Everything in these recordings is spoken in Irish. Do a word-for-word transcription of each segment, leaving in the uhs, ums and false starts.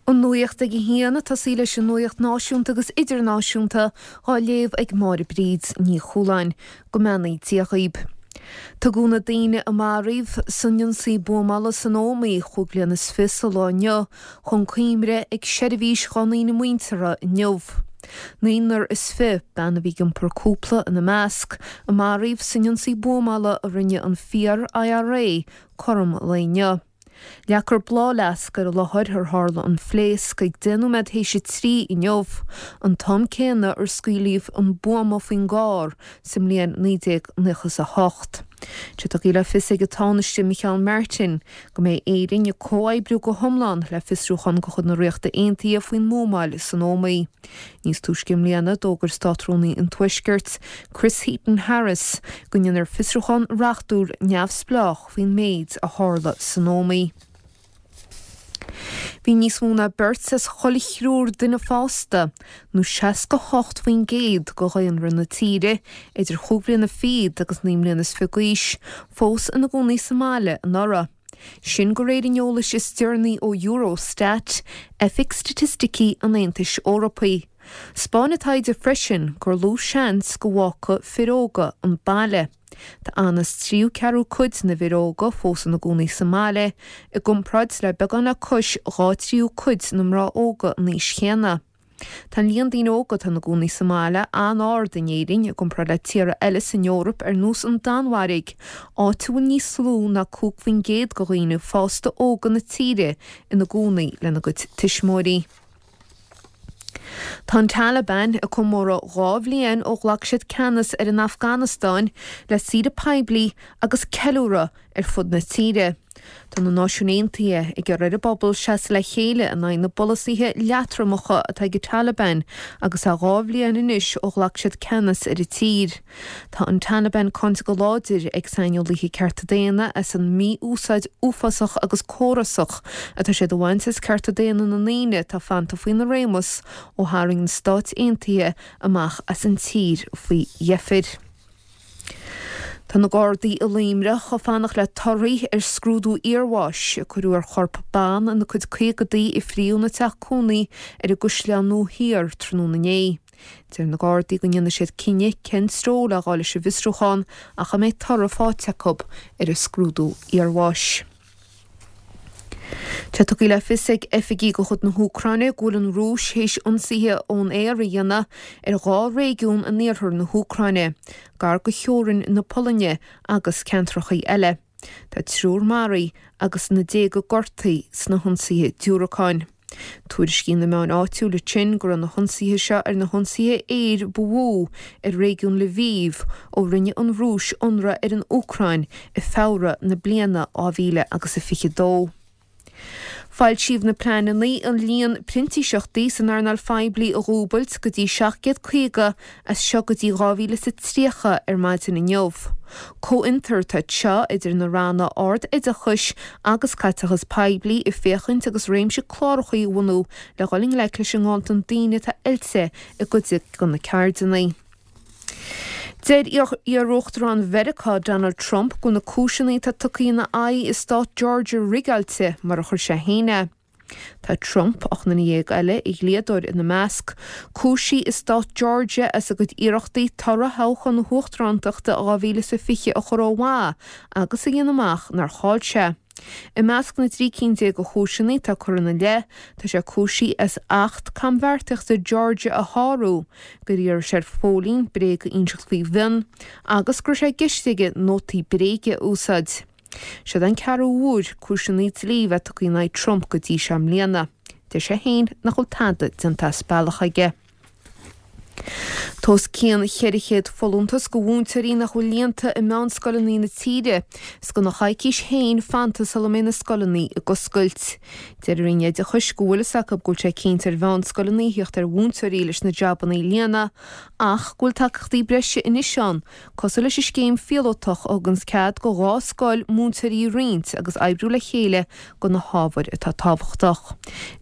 An nuacht ag a haon, tosaí leis an nuacht náisiúnta agus idirnáisiúnta á léamh ag Máire Bríd Ní Chualáin. Go mbeannaí Dia dhaoib. Tugadh na daoine a maraíodh san ionsaí buamála san Ómaigh chúig bliana is fiche sa lá inniu chun cuimhne ag seirbhís dá ndaoine muinteartha inniu. Naonúr is fiche, bean a bhí ag iompar cúpla ina measc, a maraíodh san ionsaí buamála a rinne an fíor-IRA cothrom an lae inniu. Leagfar bláthfhleasc ar an láthair ar tharla an phléasc ag deich nóiméad théis a trí inniu, an t-am céanna ar scaoileadh an buama faoin gcarr sa mbliain naoi déag nócha is a hocht. Tá tugtha le fios ag an Tánaiste Micheál Martin go mbeidh Éirinn ag comhoibriú go hiomlán le fiosrúchán de chuid na Ríochta Aontaithe faoin mbuamáil san Ómaigh. Níos túisce i mbliana d'fhógair Státrúnaí an Tuaiscirt, Chris Heaton-Harris, go ndéanfar fiosrúchán reachtúil neamhspleách faoin méid a tharla san Ómaigh. Bhí níos mó ná beirt as chuile thriúr duine fásta, nó seasca hocht faoin gcéad de dhaonra na tíre, idir chúig bhliana fichead agus naoi mbliana is fiche d'aois, fós ina gcónaí sa mbaile anuraidh. Sin de réir an eolais is deireanaí ó Eurostat, Oifig Staitisticí an Aontais Eorpaigh. 'Spáin an taighde freisin gur lú seans go bhfágfadh fir óga an baile. Tá aon tríú ceathrú cuid na bhfir óga fós ina gcónaí sa mbaile, i gcomparáid le beagán le cois dhá tríú cuid na mná óga an aois chéanna. Tá an líon daoine óga atá ina gcónaí sa mbaile an-ard in Éirinn i gcomparáid le tíortha eile san Eoraip ar nós an Danmhairg, áit a bhfuil níos lú ná cúig faoin gcéad de dhaoine fásta óga na tíre ina gcónaí lena gcuid tuismitheoirí. Tá an Taliban ag comóradh dhá bhliain ó ghlac siad ceannas ar an Afganastáin le saoire poiblí agus ceiliúradh ar fud na tíre. Tá na Náisiúin Aontaithe ag iarraidh ar an bpobal seasamh le chéile in aghaidh na bpolasaithe leatromacha atá ag an Taliban agus é dhá bhliain anois ó ghlac siad ceannas ar an tír. Tá an Taliban cáinte go láidir ag saineolaithe cearta daonna as an mí-úsáid uafásach agus córasach atá siad a bhaint as cearta daonna na ndaoine atá fanta faoina réimeas ó tharraing na Stáit Aontaithe amach as an tír faoi dheifir. Tá na Gardaí i Luimneach ag fanacht le torthaí ar scrúdú iarbháis a cuireadh ar chorp ban ina cuid caogadaí a fríodh ina teach cónaí ar an gCaisleán Nua Thiar tráthnóna inné. Deir na Gardaí go ndéanfaidh siad cinneadh cén treo le dhul leis an bhfiosrúchán ach a mbeidh toradh faighte acu ar an scrúdú iarbháis. Tá tugtha le fios ag oifigigh de chuid na hÚcráine go bhfuil an Rúis théis ionsaithe ón aer a dhéanamh ar dhá réigiún in iarthar na hÚcráine, gar do theorainn na Polainne agus ceantracha eile. Tá triúr maraithe agus na déaga gortaithe sna hionsaithe diúracáin. Tuairiscíonn na meáin áitiúla ansin go raibh na hionsaithe seo ar na hionsaithe aeir ba mhó ar réigiún Lviv ó rinne an Rúis ionradh ar an Úcráin i Feabhra na bliana dhá mhíle agus a fiche dó. Foilsíodh na pleananna an líon printíseachtaí san earnáil phoiblí a dhúbailt go dtí seacht gcéad caoga as seo go dtí dhá mhíle is a tríocha ar maidin inniu. Comhfhiontar atá anseo idir na ranna ard-oideachais agus caiteachas poiblí ag féachaint agus réimse cláracha a bhunú le dhul i ngleic leis an nganntan daoine atá oilte i gcuid de na ceirdeanna. Deir iar-uachtarán Mheiriceá Donald Trump go bhfuil na cúiseanna atá tugtha ina aghaidh i stát Georgia rigeáilte mar a chuir sé féin é. Tá Trump, ocht nduine dhéag eile, a dhlíodóir ina measc, cúisithe i stát Georgia as a gcuid iarrachtaí toradh thoghchán na huachtarántachta dhá mhíle is a fiche a chur ó mhaith agus a dhéanamh amach nár chaill sé. I measc na dtrí cinn déag de chúiseanna atá curtha ina leith, tá sé cúisithe as Acht Cambheartaíochta Georgia a shárú, gur iarr sé ar phóilín bréag a inseacht faoi mhionn, agus go raibh sé i gceist aige nótaí bréige a úsáid. Siod an ceathrú huair cúiseanna dlí a bheith tugtha in aghaidh Trump go dtí seo i mbliana. Deir sé féin nach bhfuil tada déanta as bealach aige. Tá os cionn cheithre chéad folúntas do mhúinteoirí nach bhfuil líonta i meánscoileanna na tíre is gan ach coicís féin fanta sula mbeidh na scoileanna ag oscailt. Deir an Roinn Oideachais go bhfuil fhios acu go bhfuil sé cinnte ar mheánscoileanna theacht ar mhúinteoirí leis na jabanna a líonadh ach go bhfuil tacaíochtaí breise anois ann cosúil leis an scéim phíolótach a thuganns cead do dhá scoil múinteoirí a roinnt agus oibriú le chéile do na hábhair atá tábhachtach.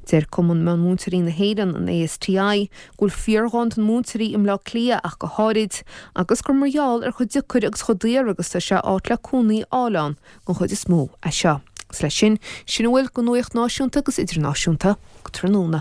Deir Cumann Meánmhúinteoirí na hÉireann, an ASTI, go bhfuil fíorghanntan múinteoirí i mBleá Cliath ach go háirid, agus gur mar gheall ar chomh deacair agus chomh daor agus tá sé áit le cónaí a fháil ann den chuid is mó é seo. Agus leis sin, sin a bhfuil den nuacht náisiúnta agus idirnáisiúnta go tráthnóna.